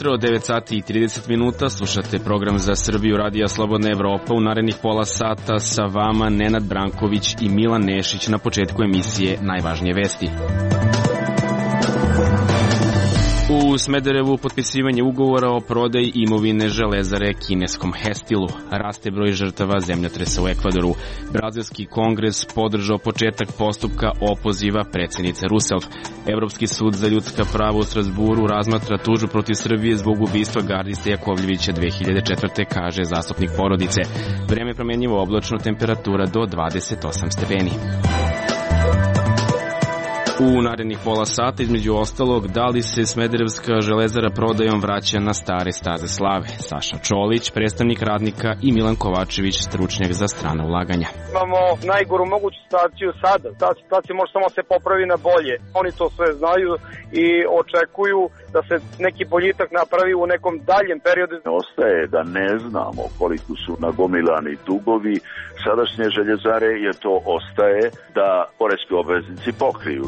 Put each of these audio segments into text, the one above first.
jutro, 9 sati i 30 minuta, slušate program za Srbiju Radija Slobodna Evropa. U narednih pola sata sa vama Nenad Branković i Milan Nešić. Na početku emisije najvažnije vesti. U Smederevu potpisivanje ugovora o prodaji imovine Železare kineskom Hestilu. Raste broj žrtava zemljotresa u Ekvadoru. Brazilski kongres podržao početak postupka opoziva predsjednice Rousseff. Evropski sud za ljudska prava u Strasburu razmatra tužbu protiv Srbije zbog ubistva gardiste Jakovljevića 2004. kaže zastupnik porodice. Vreme promjenjivo, oblačno, temperatura do 28 stepeni. U narednih pola sata, između ostalog, da li se Smederevska železara prodajom vraća na stare staze slave? Saša Čolić, predstavnik radnika, i Milan Kovačević, stručnjak za strana ulaganja. Imamo najgoru moguću situaciju sada. Ta situacija može samo se popravi na bolje. Oni to sve znaju i očekuju da se neki boljitak napravi u nekom daljem periodu. Ostaje da ne znamo koliko su nagomilani dugovi sadašnje željezare, jer to ostaje da poreski obveznici pokriju.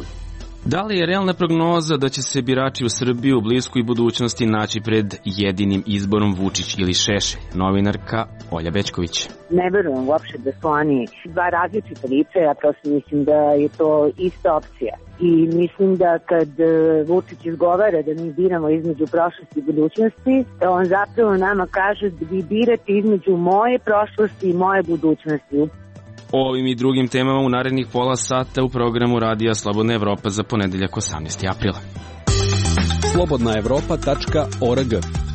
Da li je realna prognoza da će se birači u Srbiji u bliskoj budućnosti naći pred jedinim izborom Vučić ili Šešelj? Novinarka Olja Bećković. Ne verujem uopšte da su oni dva različita lica, ja prosto mislim da je to ista opcija. I mislim da kad Vučić izgovara da mi biramo između prošlosti i budućnosti, on zapravo nama kaže da vi birate između moje prošlosti i moje budućnosti. O ovim i drugim temama u narednih pola sata u programu Radija Slobodna Evropa za ponedeljak 18. aprila. slobodnaevropa.org.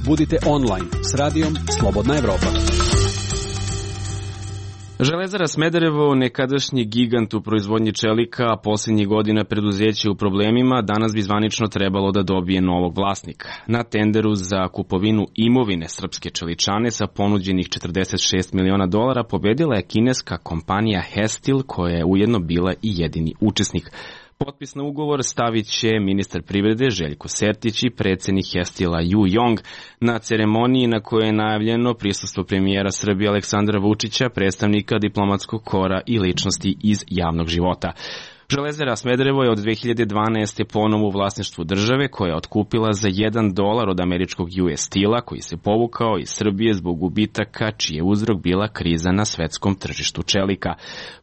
Budite online s radijom Slobodna Evropa. Železara Smederevo, nekadašnji gigant u proizvodnji čelika, a posljednjih godina preduzeće u problemima, danas bi zvanično trebalo da dobije novog vlasnika. Na tenderu za kupovinu imovine srpske čeličane sa ponuđenih $46 miliona pobedila je kineska kompanija Hestil, koja je ujedno bila i jedini učesnik. Potpis na ugovor stavit će ministar privrede Željko Sertić i predsjednik Hestila Ju Jong na ceremoniji na kojoj je najavljeno prisustvo premijera Srbije Aleksandra Vučića, predstavnika diplomatskog kora i ličnosti iz javnog života. Železara Smederevo je od 2012. ponovo u vlasništvu države, koja je otkupila za $1 od američkog US Steel-a, koji se povukao iz Srbije zbog gubitaka, čiji je uzrok bila kriza na svetskom tržištu čelika.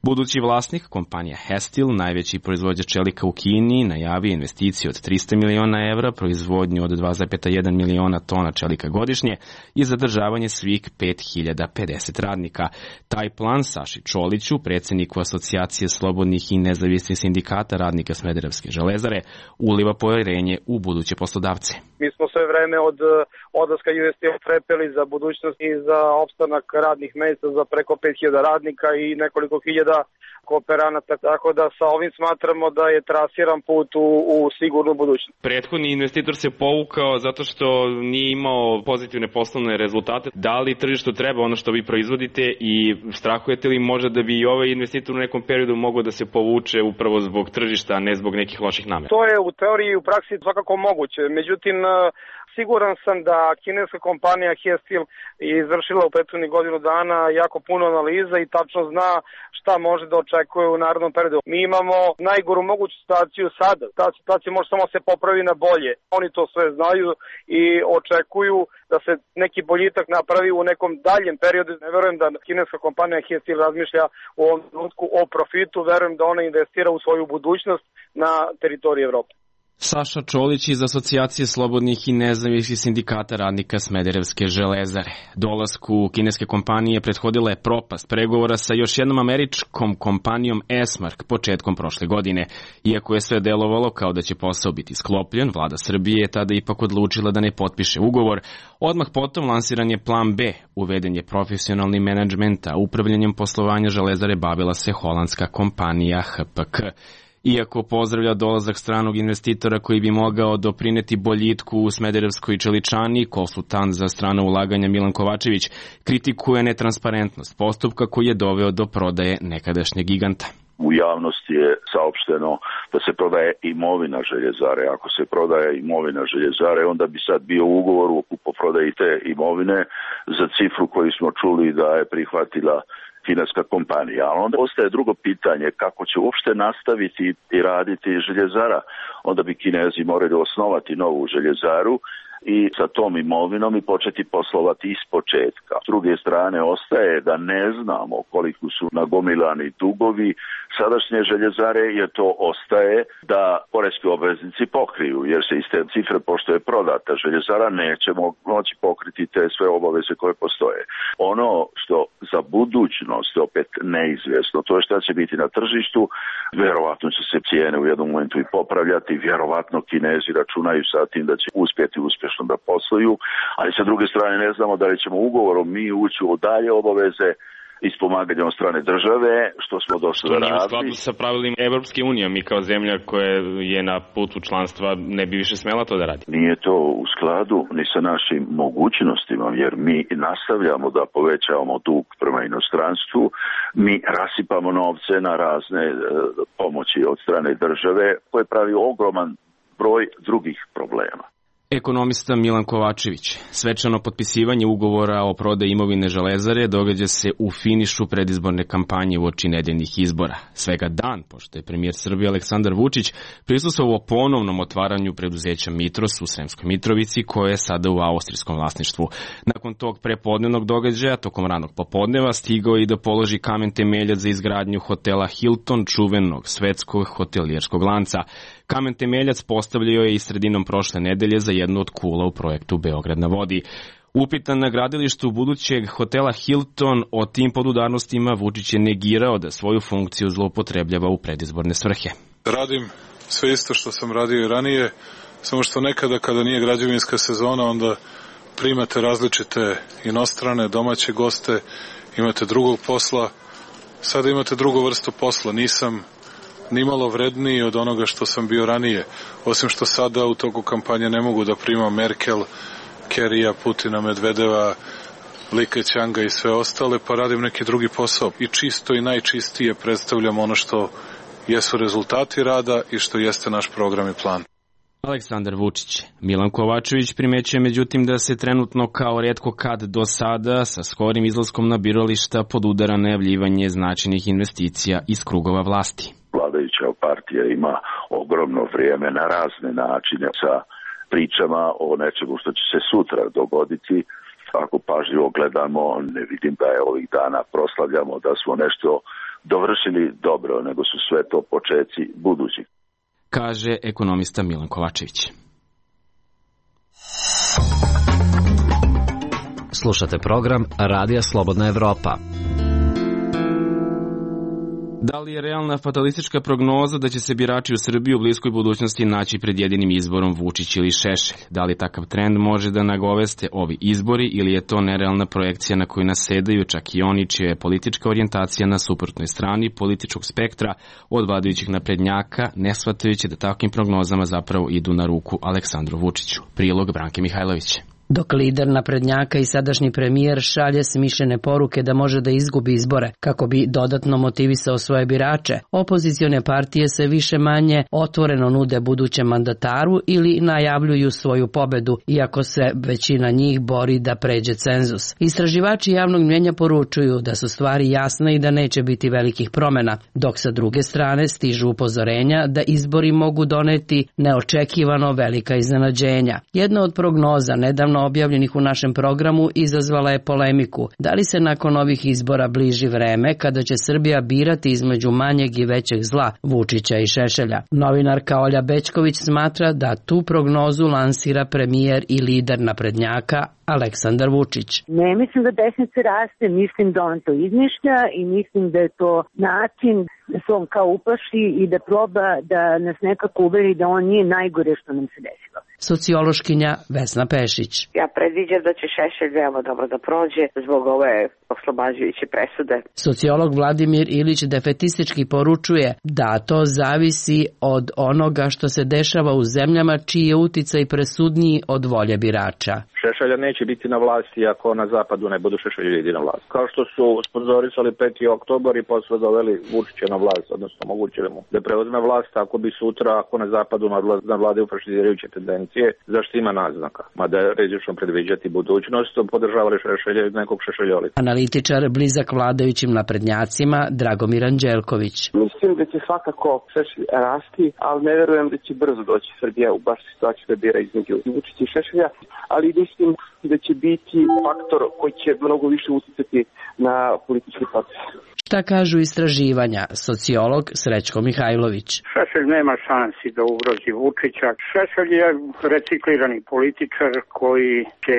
Budući vlasnik, kompanija Hestil, najveći proizvođač čelika u Kini, najavio investiciju od $300 miliona, proizvodnju od 2,1 miliona tona čelika godišnje i zadržavanje svih 5050 radnika. Taj plan Saši Čoliću, predsjedniku Asocijacije slobodnih i nezavisnih sindikata radnika Smederevske železare, uliva povjerenje u buduće poslodavce. Mi smo sve vreme od odlaska US Steel trepeli za budućnost i za opstanak radnih mjesta za preko 5000 radnika i nekoliko hiljada kooperanata, tako da sa ovim smatramo da je trasiran put u sigurnu budućnost. Prethodni investitor se povukao zato što nije imao pozitivne poslovne rezultate. Da li tržištu treba ono što vi proizvodite i strahujete li možda da bi i ovaj investitor u nekom periodu mogao da se povuče upravo zbog tržišta, a ne zbog nekih loših namera? To je u teoriji i u praksi svakako moguće. Međutim, siguran sam da kineska kompanija Hestil je izvršila u prethodnih godinu dana jako puno analiza i tačno zna šta može da očekuje u narednom periodu. Mi imamo najgoru moguću situaciju sada. Ta situacija može samo se popravi na bolje. Oni to sve znaju i očekuju da se neki boljitak napravi u nekom daljem periodu. Ne verujem da kineska kompanija Hestil razmišlja u ovom trenutku o profitu, verujem da ona investira u svoju budućnost na teritoriji Evrope. Saša Čolić iz Asocijacije slobodnih i nezavisnih sindikata radnika Smederevske železare. Dolasku kineske kompanije prethodila je propast pregovora sa još jednom američkom kompanijom Esmark početkom prošle godine. Iako je sve delovalo kao da će posao biti sklopljen, vlada Srbije je tada ipak odlučila da ne potpiše ugovor. Odmah potom lansiran je plan B. Uveden je profesionalni menadžment, a upravljanjem poslovanja železare bavila se holandska kompanija HPK. Iako pozdravlja dolazak stranog investitora koji bi mogao doprineti boljitku u Smederevskoj čeličani, konsultant za strana ulaganja Milan Kovačević kritikuje netransparentnost postupka koji je doveo do prodaje nekadašnjeg giganta. U javnosti je saopšteno da se prodaje imovina željezare. Ako se prodaje imovina željezare, onda bi sad bio ugovor o kupoprodaji te imovine za cifru koju smo čuli da je prihvatila kineska kompanija. A onda ostaje drugo pitanje, kako će uopšte nastaviti i raditi željezara. Onda bi Kinezi morali osnovati novu željezaru, i sa tom imovinom i početi poslovati iz početka. S druge strane, ostaje da ne znamo koliko su nagomilani dugovi sadašnje željezare, jer to ostaje da poreski obveznici pokriju, jer se iz te cifre, pošto je prodata željezara, nećemo moći pokriti te sve obaveze koje postoje. Ono što za budućnost je opet neizvjesno, to je šta će biti na tržištu, vjerovatno će se cijene u jednom momentu i popravljati, vjerovatno Kinezi računaju sa tim da će uspjeti uspješno da posluju, ali sa druge strane ne znamo da li ćemo ugovorom mi ući u dalje obaveze ispomaganja od strane države, što smo došli da radili. Što nije u skladu sa pravilima Evropske unije, mi kao zemlja koja je na putu članstva ne bi više smela to da radi. Nije to u skladu ni sa našim mogućnostima, jer mi nastavljamo da povećavamo dug prema inostranstvu, mi rasipamo novce na razne pomoći od strane države, koje pravi ogroman broj drugih problema. Ekonomista Milan Kovačević. Svečano potpisivanje ugovora o prodaji imovine Železare događa se u finišu predizborne kampanje uoči nedeljnih izbora. Svega dan, pošto je premijer Srbije Aleksandar Vučić prisustvovao ponovnom otvaranju preduzeća Mitros u Sremskoj Mitrovici, koje je sada u austrijskom vlasništvu. Nakon tog prepodnevnog događaja, tokom ranog popodneva, stigao i da položi kamen temeljac za izgradnju hotela Hilton, čuvenog svetskog hotelijerskog lanca. Kamen temeljac postavljao je i sredinom prošle nedelje za jednu od kula u projektu Beograd na vodi. Upitan na gradilištu budućeg hotela Hilton o tim podudarnostima, Vučić je negirao da svoju funkciju zloupotrebljava u predizborne svrhe. Radim sve isto što sam radio i ranije, samo što nekada kada nije građevinska sezona, onda primate različite inostrane, domaće goste, imate drugog posla, sada imate drugu vrstu posla, nisam nimalo vredniji od onoga što sam bio ranije, osim što sada u toku kampanje ne mogu da primam Merkel, Kerija, Putina, Medvedeva, Like Ćanga i sve ostale, pa radim neki drugi posao i čisto i najčistije predstavljam ono što jesu rezultati rada i što jeste naš program i plan. Aleksandar Vučić. Milan Kovačević primećuje međutim da se trenutno kao retko kad do sada sa skorim izlaskom na birališta podudara najavljivanje značajnih investicija iz krugova vlasti. Vladajuća partija ima ogromno vrijeme na razne načine sa pričama o nečemu što će se sutra dogoditi. Ako pažljivo gledamo, ne vidim da je ovih dana proslavljamo da smo nešto dovršili dobro, nego su sve to počeci budućih. Kaže ekonomista Milan Kovačević. Slušate program Radija Slobodna Evropa. Da li je realna fatalistička prognoza da će se birači u Srbiji u bliskoj budućnosti naći pred jedinim izborom Vučić ili Šešelj? Da li takav trend može da nagoveste ovi izbori ili je to nerealna projekcija na koju nasedaju čak i oni čija je politička orijentacija na suprotnoj strani političkog spektra od vladajućih naprednjaka, ne shvatajući da takvim prognozama zapravo idu na ruku Aleksandru Vučiću? Prilog Branke Mihajlović. Dok lider naprednjaka i sadašnji premijer šalje smišljene poruke da može da izgubi izbore kako bi dodatno motivisao svoje birače, opozicione partije se više manje otvoreno nude budućem mandataru ili najavljuju svoju pobedu, iako se većina njih bori da pređe cenzus. Istraživači javnog mnjenja poručuju da su stvari jasne i da neće biti velikih promjena, dok sa druge strane stižu upozorenja da izbori mogu doneti neočekivano velika iznenađenja. Jedna od prognoza nedavno objavljenih u našem programu izazvala je polemiku. Da li se nakon ovih izbora bliži vreme kada će Srbija birati između manjeg i većeg zla, Vučića i Šešelja? Novinarka Olja Bećković smatra da tu prognozu lansira premijer i lider naprednjaka Aleksandar Vučić. Ne mislim da desnica raste, mislim da on to izmišlja i mislim da je to način da se on kao uplaši i da proba da nas nekako uveri da on nije najgore što nam se desilo. Sociološkinja Vesna Pešić. Ja predviđam da će Šešelj veoma dobro da prođe zbog ove oslobađajuće presude. Sociolog Vladimir Ilić defetistički poručuje da to zavisi od onoga što se dešava u zemljama čiji je uticaj presudniji od volje birača. Šešelja neće biti na vlasti ako na zapadu ne budu Šešelj ljudi na vlasti. Kao što su sponzorisali 5. oktobar i posle doveli Vučića na vlast, odnosno omogućili mu da preuzme vlast ako bi sutra, ako na zapadu nadvladaju fašizirajuće tendencije, zašto ima naznaka. Mada je rizično predviđati budućnost, podržavali Šešelja iz nekog šešeljolika. Analitičar blizak vladajućim naprednjacima Dragomir Anđelković. Mislim da će svakako Šešelj rasti, ali ne verujem da će brzo doći Srbija u baš situaciju da bira između Vučića i Šešelja, ali mislim da će biti faktor koji će mnogo više uticati na politički proces. Šta kažu istraživanja? Sociolog Srećko Mihajlović. Šešelj nema šansi da ugrozi Vučića. Šešelj je reciklirani političar koji će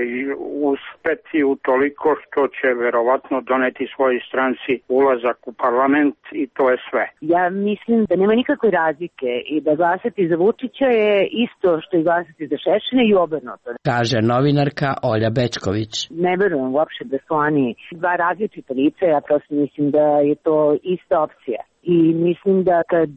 uspeti u toliko što će verovatno doneti svojoj stranci ulazak u parlament i to je sve. Ja mislim da nema nikakve razlike i da glasati za Vučića je isto što i glasati za Šešelja i obrnuto. Kaže novinarka Olja Bečković. Ne verujem uopšte da su oni dva različita lica, ja prosto mislim da je to ista opcija. I mislim da kad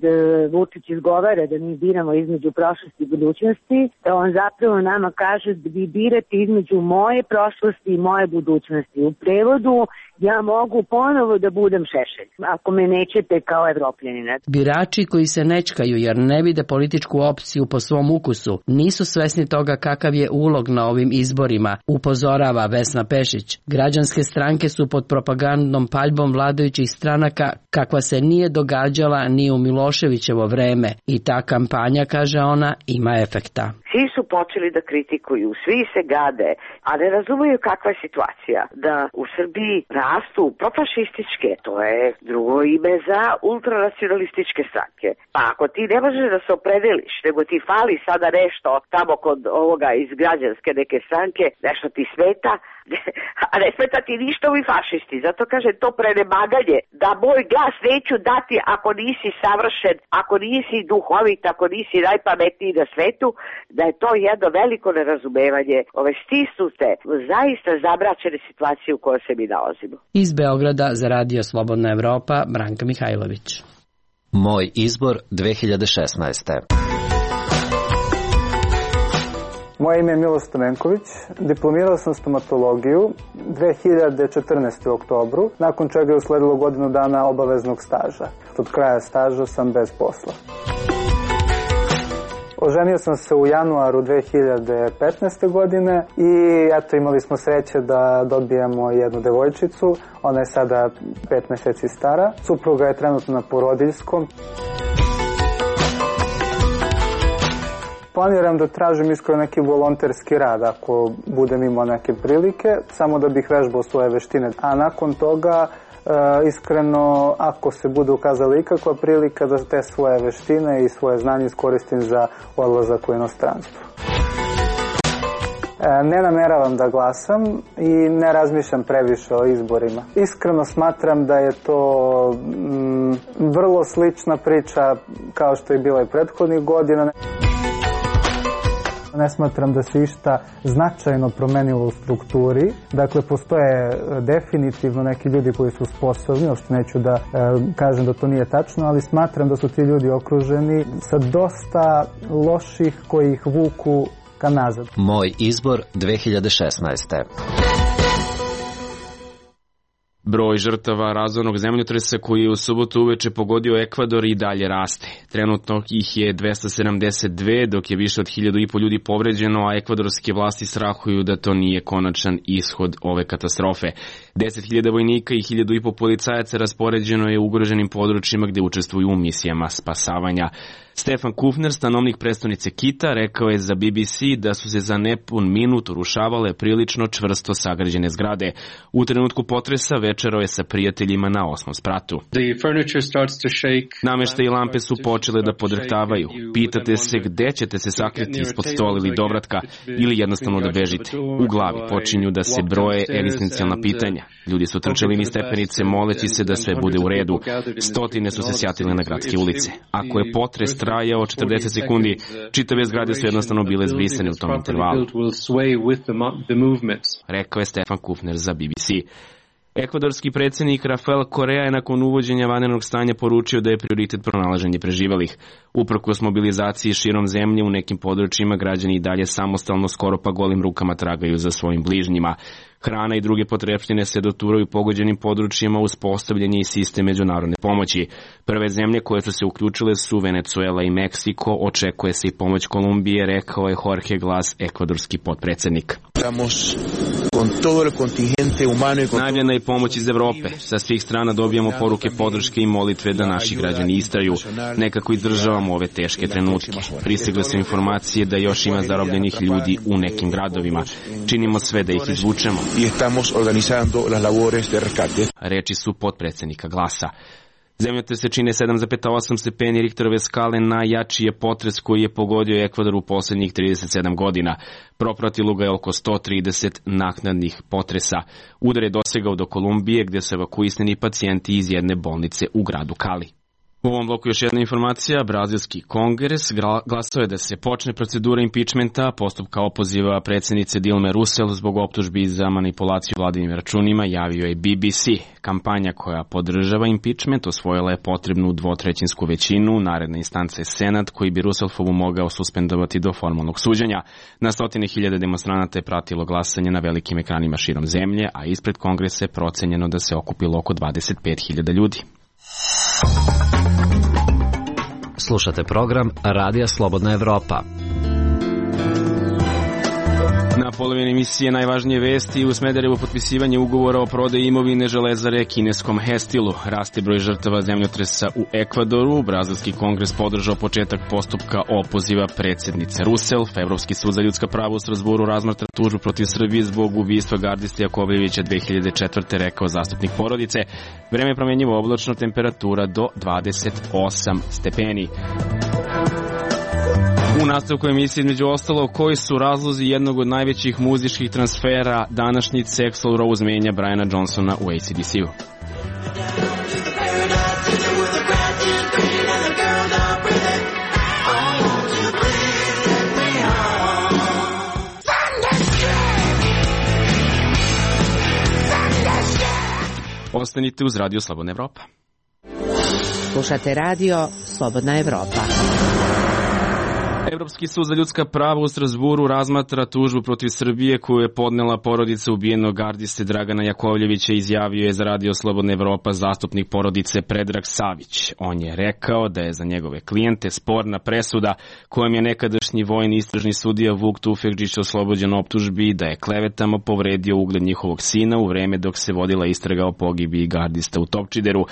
Vučić izgovara da mi biramo između prošlosti i budućnosti, da on zapravo nama kaže da vi birate između moje prošlosti i moje budućnosti. U prevodu ja mogu ponovo da budem Šešelj, ako me nećete kao Evropljanina. Birači koji se nečkaju jer ne vide političku opciju po svom ukusu, nisu svesni toga kakav je ulog na ovim izborima, upozorava Vesna Pešić. Građanske stranke su pod propagandnom paljbom vladajućih stranaka kakva se nije događala ni u Miloševićevo vreme i ta kampanja, kaže ona, ima efekta. Svi su počeli da kritikuju, svi se gade, a ne razumeju kakva je situacija. Da u Srbiji rastu profašističke, to je drugo ime za ultranacionalističke stranke. Pa ako ti ne možeš da se opredeliš, nego ti fali sada nešto tamo kod ovoga iz građanske neke stranke, nešto ti smeta, a ne smeta ti ništa ovi fašisti. Zato kaže to prenemaganje, da moj glas neću dati ako nisi savršen, ako nisi duhovit, ako nisi najpametniji na svetu, da je to jedno veliko nerazumevanje ove stisnute, zaista zamračene situacije u kojoj se mi nalazimo. Iz Beograda za Radio Slobodna Evropa, Branka Mihajlović. Moj izbor 2016. Moje ime je Milo Stamenković, diplomirao sam stomatologiju 2014. u oktobru, nakon čega je usledilo godinu dana obaveznog staža. Od kraja staža sam bez posla. Oženio sam se u januaru 2015. godine i eto imali smo sreće da dobijemo jednu devojčicu, ona je sada 5 meseci stara, supruga je trenutno na porodiljskom. Planiram da tražim iskreno neki volonterski rad ako budem imao neke prilike, samo da bih vežbao svoje veštine. A nakon toga, iskreno, ako se bude ukazala ikakva prilika da te svoje veštine i svoje znanje iskoristim za odlazak u inostranstvo. Ne nameravam da glasam i ne razmišljam previše o izborima. Iskreno smatram da je to vrlo slična priča kao što je bila i prethodnih godina. Ne smatram da se išta značajno promenilo u strukturi. Dakle, postoje definitivno neki ljudi koji su sposobni, uopšte neću da kažem da to nije tačno, ali smatram da su ti ljudi okruženi sa dosta loših koji ih vuku ka nazad. Moj izbor 2016. Broj žrtava razornog zemljotresa koji je u subotu uveče pogodio Ekvador i dalje raste. Trenutno ih je 272, dok je više od 1.500 ljudi povređeno, a ekvadorske vlasti strahuju da to nije konačan ishod ove katastrofe. 10.000 vojnika i 1.500 policajaca raspoređeno je u ugroženim područjima gde učestvuju u misijama spasavanja. Stefan Kufner, stanovnik prestonice Kita, rekao je za BBC da su se za nepun minut urušavale prilično čvrsto sagrađene zgrade. U trenutku potresa večerao je sa prijateljima na 8. spratu. Nameštaj i lampe su počele da podrhtavaju. Pitate se gde ćete se sakriti ispod stola ili dovratka ili jednostavno da bežite. U glavi počinju da se broje egzistencijalna pitanja. Ljudi su trčali niz stepenice moleći se da sve bude u redu. Stotine su se sjatile na gradske ulice. Ako je potres trajao 40 sekundi, čitave zgrade su jednostavno bile zbrisane u tom intervalu. Rekao je Stefan Kufner za BBC. Ekvadorski predsjednik Rafael Korea je nakon uvođenja vanrednog stanja poručio da je prioritet pronalaženje preživelih. Uprkos mobilizaciji širom zemlje u nekim područjima građani i dalje samostalno skoro pa golim rukama tragaju za svojim bližnjima. Hrana i druge potrepštine se doturaju pogođenim područjima uz postavljanje i sistem međunarodne pomoći. Prve zemlje koje su se uključile su Venezuela i Meksiko, očekuje se i pomoć Kolumbije, rekao je Jorge Glas, ekvadorski potpredsjednik. Najavljena je pomoć iz Evrope. Sa svih strana dobijamo poruke podrške i molitve da naši građani istraju. Nekako izdržavamo ove teške trenutke. Pristigle su informacije da još ima zarobljenih ljudi u nekim gradovima. Činimo sve da ih izvučemo. Reči su potpredsjednika Glasa. Zemljotrese čine 7,8 stepeni Richterove skale, najjači je potres koji je pogodio Ekvador u posljednjih 37 godina. Propratilo ga je oko 130 naknadnih potresa. Udar je dosegao do Kolumbije gdje su evakuisani pacijenti iz jedne bolnice u gradu Cali. U ovom bloku još jedna informacija. Brazilski kongres glasao je da se počne procedura impičmenta, postupka opoziva predsjednice Dilme Rousseff zbog optužbi za manipulaciju vladinim računima, javio je BBC. Kampanja koja podržava impičment osvojila je potrebnu dvotrećinsku većinu, naredna instanca je Senat koji bi Rousselfovu mogao suspendovati do formalnog suđenja. Na stotine hiljade demonstranata je pratilo glasanje na velikim ekranima širom zemlje, a ispred kongresa je procenjeno da se okupilo oko 25.000 ljudi. Slušate program Radija Slobodna Evropa. Na polovini emisije najvažnije vesti: u Smederevu potpisivanje ugovora o prodaji imovine železare kineskom Hestilu. Raste broj žrtava zemljotresa u Ekvadoru. Brazilski kongres podržao početak postupka opoziva predsjednice Rousseff. Evropski sud za ljudska prava u Strasburu razmatra tužbu protiv Srbije zbog ubistva gardiste Jakovljevića 2004. rekao zastupnik porodice. Vreme je promenjivo, oblačno, temperatura do 28 stepeni. U nastavku emisije između ostalo koji su razlozi jednog od najvećih muzičkih transfera današnjice. Axl Rose menja Briana Johnsona u AC/DC-u. Ostanite uz Radio Slobodna Evropa. Slušate Radio Slobodna Evropa. Evropski sud za ljudska prava u Strasburu razmatra tužbu protiv Srbije koju je podnela porodica ubijenog gardiste Dragana Jakovljevića, izjavio je za Radio Slobodna Evropa zastupnik porodice Predrag Savić. On je rekao da je za njegove klijente sporna presuda kojom je nekadašnji vojni istražni sudija Vuk Tufekđić oslobođen optužbi da je klevetama povredio ugled njihovog sina u vreme dok se vodila istraga o pogibiji gardista u Topčideru.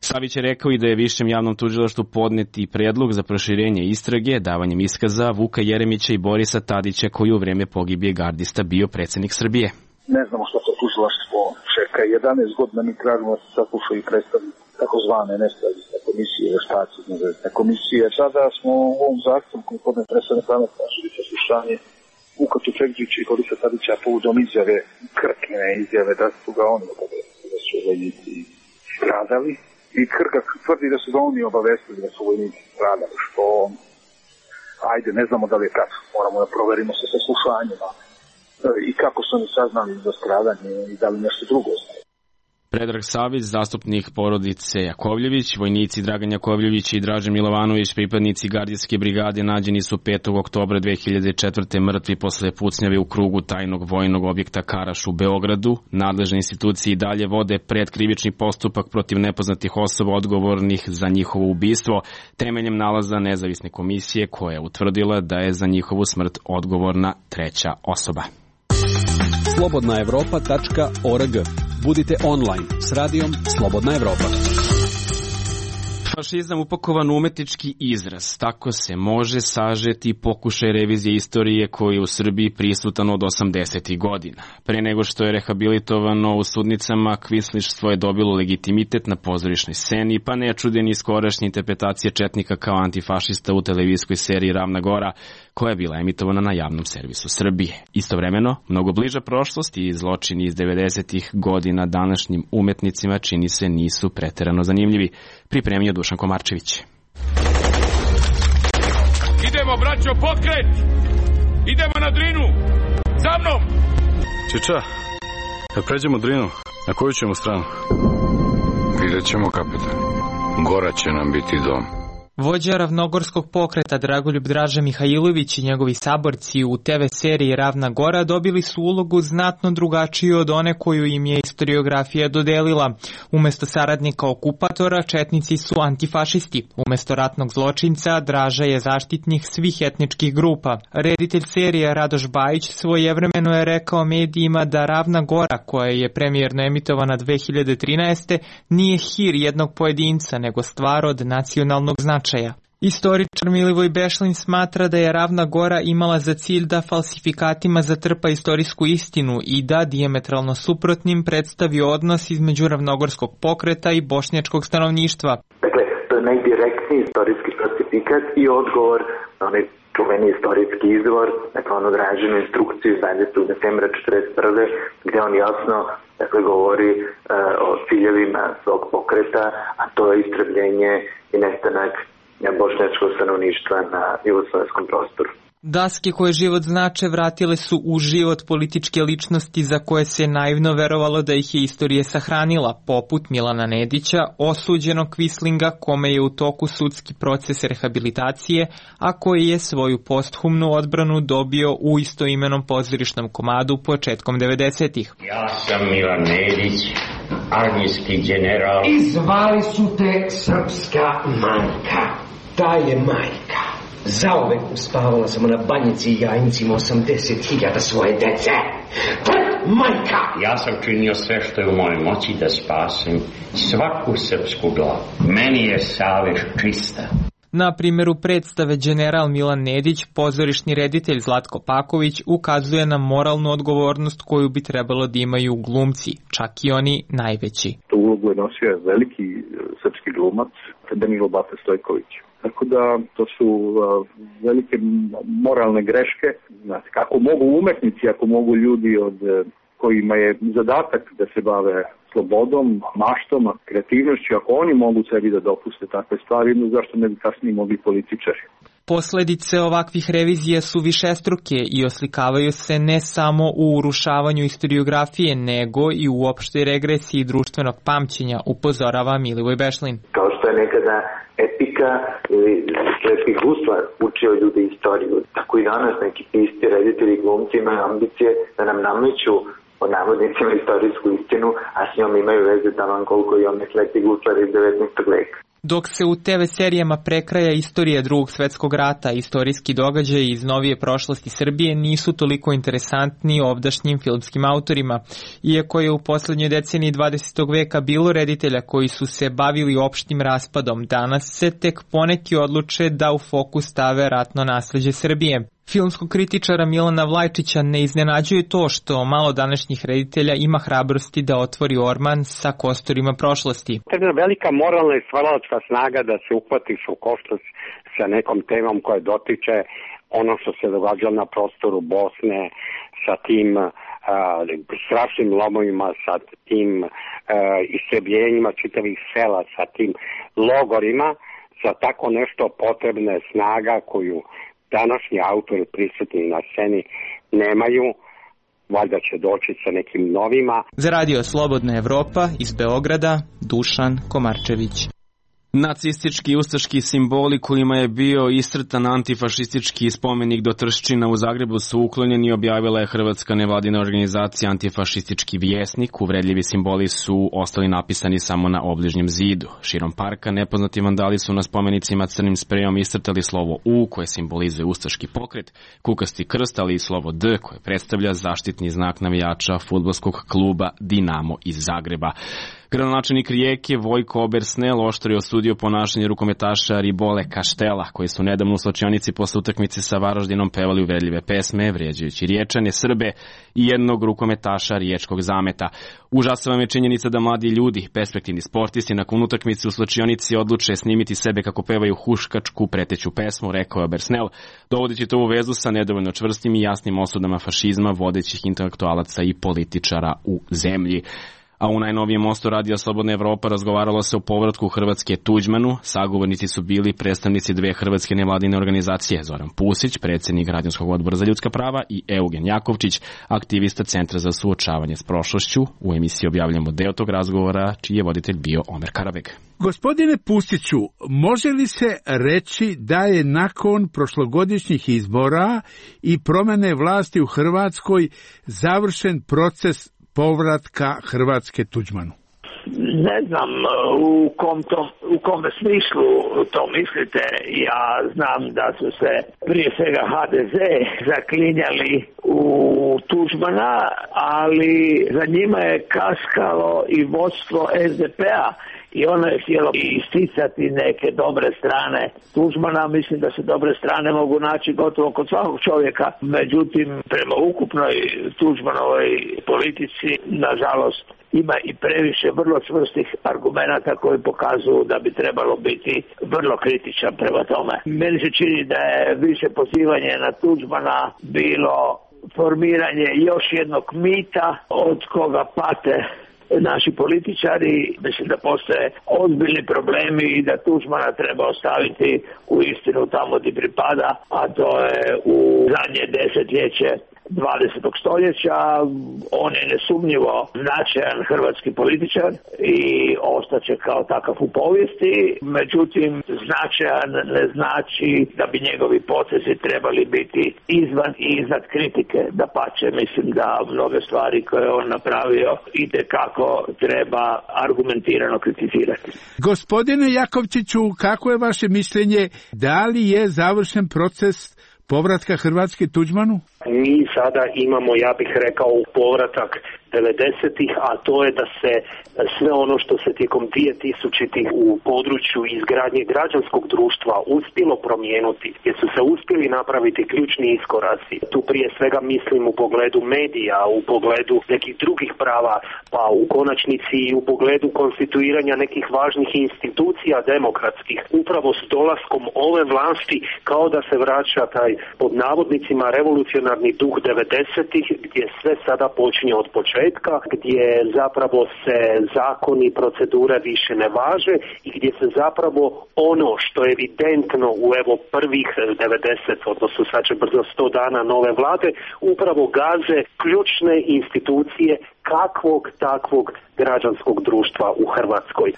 Savić je rekao i da je višem javnom tužilaštvu podneti predlog za proširenje istrage davanjem iskaza Vuka Jeremića i Borisa Tadića koji u vreme pogibije gardista bio predsjednik Srbije. Ne znamo što to tužilaštvo čeka. 11 godina mi tražimo da se saslušaju i predstavljaju takozvane nezavisne komisije, veštaci, nezavisne komisije. Sada smo u ovom zahtjevu koji podne predstavljene pametne tražili slušanje Vuka Tufekđića i Borisa Tadića povodom izjave, krkne izjave da su ga oni obavestili da su vojnici stradali. I Krga tvrdi da su ga oni obavestili da su vojnici stradali, što ajde, ne znamo da li je tako. Moramo da proverimo se sa slušanjima i kako su oni saznali za stradanje i da li nešto drugo znaju. Predrag Savić, zastupnik porodice Jakovljević, vojnici Dragan Jakovljević i Dražen Milovanović, pripadnici gardijske brigade, nađeni su 5. oktobra 2004. mrtvi posle pucnjave u krugu tajnog vojnog objekta Karaš u Beogradu. Nadležne institucije i dalje vode predkrivični postupak protiv nepoznatih osoba odgovornih za njihovo ubistvo, temeljem nalaza nezavisne komisije koja je utvrdila da je za njihovu smrt odgovorna treća osoba. slobodnaevropa.org. Budite online s radijom Slobodna Evropa. Fašizam upakovan u umetnički izraz. Tako se može sažeti pokušaj revizije istorije koji je u Srbiji prisutan od 80. godina. Pre nego što je rehabilitovano u sudnicama, kvislištvo je dobilo legitimitet na pozorišnoj sceni, pa ne čudeni skorašnje interpretacije četnika kao antifašista u televizijskoj seriji Ravna Gora, koja je bila emitovana na javnom servisu Srbije. Istovremeno, mnogo bliža prošlost i zločini iz 90. godina današnjim umetnicima čini se nisu preterano zanimljivi. Pripremio Dušan Komarčević. Idemo, braćo, pokret! Idemo na Drinu! Za mnom! Čiča, kad pređemo Drinu, Na koju ćemo stranu? Vidjet ćemo, kapitan. Gora će nam biti dom. Vođa ravnogorskog pokreta Dragoljub Draža Mihajlović i njegovi saborci u TV seriji Ravna Gora dobili su ulogu znatno drugačiju od one koju im je istoriografija dodelila. Umesto saradnika okupatora, četnici su antifašisti. Umesto ratnog zločinca, Draža je zaštitnik svih etničkih grupa. Reditelj serije Radoš Bajić svojevremeno je rekao medijima da Ravna Gora, koja je premijerno emitovana 2013. nije hir jednog pojedinca, nego stvar od nacionalnog značaja. Istoričar Milivoj Bešlin smatra da je Ravna Gora imala za cilj da falsifikatima zatrpa istorijsku istinu i da dijametralno suprotnim predstavi odnos između ravnogorskog pokreta i bošnjačkog stanovništva. Dakle, to je najdirektniji istorijski falsifikat i odgovor na onaj čuveni istorijski izvor, dakle onu Dražinu instrukciju iz 20. decembra 1941. gde on jasno govori o ciljevima svog pokreta, a to je istrebljenje i nestanak bošnjačkog stanovništva na jugoslovenskom prostoru. Daske koje život znače vratile su u život političke ličnosti za koje se naivno verovalo da ih je istorija sahranila, poput Milana Nedića, osuđenog Quislinga kome je u toku sudski proces rehabilitacije, a koji je svoju posthumnu odbranu dobio u istoimenom pozorišnom komadu početkom 90-ih. Ja sam Milan Nedić, armijski general. I zvali su te srpska majka. Ta je majka. Zauvek uspavala sam na banjici i jajnicima 80.000 svoje dece. Majka! Ja sam činio sve što je u mojoj moći da spasem svaku srpsku glavu. Meni je savest čista. Na primjeru predstave General Milan Nedić, pozorišni reditelj Zlatko Paković ukazuje na moralnu odgovornost koju bi trebalo da imaju glumci, čak i oni najveći. Tu ulogu je nosio veliki srpski glumac Danilo Bata Stojković. Tako da to su velike moralne greške. Znači, kako mogu umetnici, ako mogu ljudi od kojima je zadatak da se bave slobodom, maštom, kreativnošću, ako oni mogu sebi da dopuste takve stvari, zašto ne bi kasnije mogli političari? Posledice ovakvih revizija su višestruke i oslikavaju se ne samo u urušavanju istoriografije, nego i u opštoj regresiji društvenog pamćenja, upozorava Milivoj Bešlin. Kao što je nekada epika ili slepih gusla učio ljudi istoriju, tako i danas neki pisci, reditelji i glumci imaju ambicije da nam nameću o navodnicima istorijsku istinu, a s njom imaju veze taman koliko i one slepi guslar iz 19. veka. Dok se u TV serijama prekraja istorija Drugog svetskog rata, istorijski događaji iz novije prošlosti Srbije nisu toliko interesantni ovdašnjim filmskim autorima. Iako je u poslednjoj deceniji 20. veka bilo reditelja koji su se bavili opštim raspadom, danas se tek poneki odluče da u fokus stave ratno nasleđe Srbije. Filmskog kritičara Milana Vlajčića ne iznenađuje to što malo današnjih reditelja ima hrabrosti da otvori orman sa kosturima prošlosti. Jedna velika moralna i stvaralačka snaga da se uhvatiš u koštac sa nekom temom koja dotiče ono što se događalo na prostoru Bosne, sa tim strašnim lomovima, sa tim istrebljenjima čitavih sela, sa tim logorima, za tako nešto potrebna je snaga koju današnji autori prisutni na sceni nemaju, valjda će doći sa nekim novima. Za Radio Slobodna Evropa iz Beograda, Dušan Komarčević. Nacistički i ustaški simboli kojima je bio iscrtan antifašistički spomenik do Trščina u Zagrebu su uklonjeni, objavila je hrvatska nevladina organizacija Antifašistički vjesnik. Uvredljivi simboli su ostali napisani samo na obližnjem zidu. Širom parka nepoznati vandali su na spomenicima crnim sprejom iscrtali slovo U koje simbolizuje ustaški pokret, kukasti krst, ali i slovo D koje predstavlja zaštitni znak navijača fudbalskog kluba Dinamo iz Zagreba. Gradonačelnik Rijeke Vojko Obersnel oštro je osudio ponašanje rukometaša Ribole Kaštela, koji su nedavno u slačionici posle utakmice sa Varaždinom pevali uvredljive pesme, vrijeđajući Riječane, Srbe i jednog rukometaša riječkog Zameta. Užasava me činjenica da mladi ljudi, perspektivni sportisti, nakon utakmice u slačionici odluče snimiti sebe kako pevaju huškačku preteću pesmu, rekao je Obersnel, dovodeći to u vezu sa nedovoljno čvrstim i jasnim osudama fašizma vodećih intelektualaca i političara u zemlji. A u najnovijem mostu Radija Slobodna Evropa razgovaralo se o povratku Hrvatske Tuđmanu. Sagovornici su bili predstavnici dve hrvatske nevladine organizacije, Zoran Pusić, predsjednik Građanskog odbora za ljudska prava, i Eugen Jakovčić, aktivista Centra za suočavanje s prošlošću. U emisiji objavljamo deo tog razgovora, čiji je voditelj bio Omer Karabeg. Gospodine Pustiću, može li se reći da je nakon prošlogodišnjih izbora i promene vlasti u Hrvatskoj završen proces povratka Hrvatske Tuđmanu? Ne znam u kom smislu to mislite. Ja znam da su se prije svega HDZ zaklinjali u Tuđmana, ali za njima je kaskalo i vodstvo SDP-a i ono je htjelo isticati neke dobre strane Tuđmana. Mislim da se dobre strane mogu naći gotovo kod svakog čovjeka. Međutim, prema ukupnoj Tuđmanovoj politici, nažalost, ima i previše vrlo čvrstih argumenata koji pokazuju da bi trebalo biti vrlo kritičan prema tome. Meni se čini da je više pozivanje na Tuđmana bilo formiranje još jednog mita od koga pate naši političari. Mislim da postoje ozbiljni problemi i da Tuđmana treba ostaviti u istinu tamo gdje pripada, a to je u zadnje desetljeće 20. stoljeća. On je nesumnjivo značajan hrvatski političar i ostaće kao takav u povijesti. Međutim, značajan ne znači da bi njegovi potezi trebali biti izvan i iznad kritike. Dapače, mislim da mnoge stvari koje on napravio itekako treba argumentirano kritizirati. Gospodine Jakovčiću, kako je vaše mišljenje, da li je završen proces povratka Hrvatske Tuđmanu? Mi sada imamo, ja bih rekao, povratak 90-ih, a to je da se sve ono što se tijekom 2000-ih u području izgradnje građanskog društva uspjelo promijenuti, gdje su se uspjeli napraviti ključni iskoraci. Tu prije svega mislim u pogledu medija, u pogledu nekih drugih prava, pa u konačnici i u pogledu konstituiranja nekih važnih institucija demokratskih. Upravo s dolaskom ove vlasti kao da se vraća taj, pod navodnicima, revolucionarni duh 90-ih, gdje sve sada počinje od početka, gdje zapravo se zakoni i procedure više ne važe i gdje se zapravo ono što je evidentno u evo prvih 90, odnosno sad će brzo 100 dana nove vlade, upravo gaze ključne institucije kakvog takvog građanskog društva u Hrvatskoj.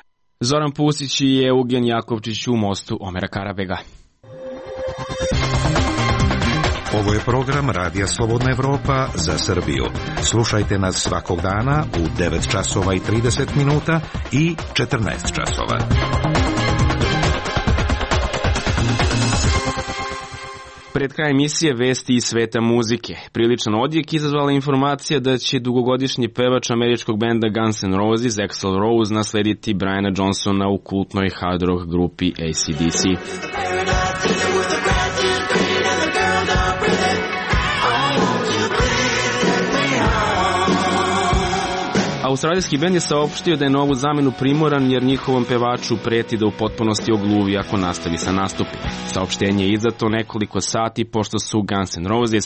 Zoran Pusić i Eugen Jakovčić u mostu Omera Karabega. Ovo je program Radija Slobodna Evropa za Srbiju. Slušajte nas svakog dana u 9 časova i 30 minuta i 14 časova. Pred kraj emisije vesti iz sveta muzike. Priličan odjek izazvala informacija da će dugogodišnji pevač američkog benda Guns N' Roses, Axl Rose, naslediti Briana Johnsona u kultnoj hard rock grupi AC/DC. Australijski bend je saopštio da je novu zamenu primoran jer njihovom pevaču preti da u potpunosti ogluvi ako nastavi sa nastupima. Saopštenje je izdato nekoliko sati pošto su Guns N' Roses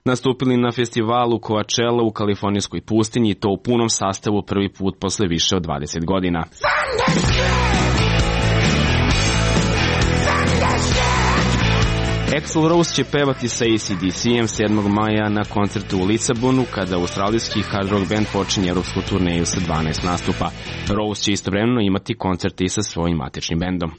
nastupili na festivalu Coachella u kalifornijskoj pustinji i to u punom sastavu prvi put posle više od 20 godina. Axl Rose će pevati sa AC/DC-em 7. maja na koncertu u Lisabonu, kada australijski hard rock band počinje evropsku turneju sa 12 nastupa. Rose će istovremeno imati koncerte i sa svojim matičnim bendom.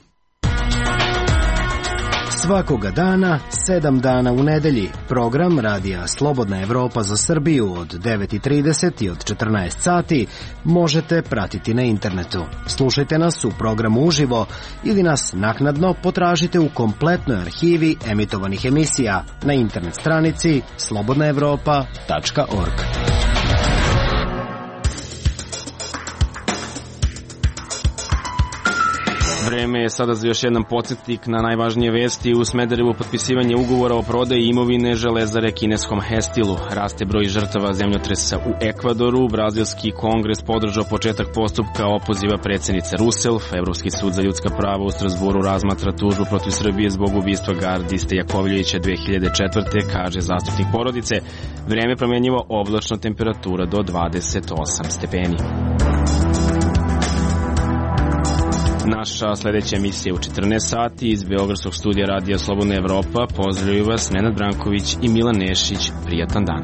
Svakoga dana, 7 dana u nedelji, program Radija Slobodna Evropa za Srbiju od 9:30 i od 14 sati možete pratiti na internetu. Slušajte nas u programu uživo ili nas naknadno potražite u kompletnoj arhivi emitovanih emisija na internet stranici slobodnaevropa.org. Vreme je sada za još jedan podsjetnik na najvažnije vesti. U Smederevu potpisivanje ugovora o prodaji imovine železare kineskom Hestilu. Raste broj žrtava zemljotresa u Ekvadoru. Brazilski kongres podržao početak postupka opoziva predsjednice Rousseff. Evropski sud za ljudska prava u Strasburu razmatra tužbu protiv Srbije zbog ubistva gardiste Jakovljevića 2004. kaže zastupnik porodice. Vreme promjenjivo, oblačno, temperatura do 28 stepeni. Naša sledeća emisija u 14 sati iz Beogradskog studija Radija Slobodna Evropa. Pozdravljaju vas Nenad Branković i Milan Nešić. Prijatan dan.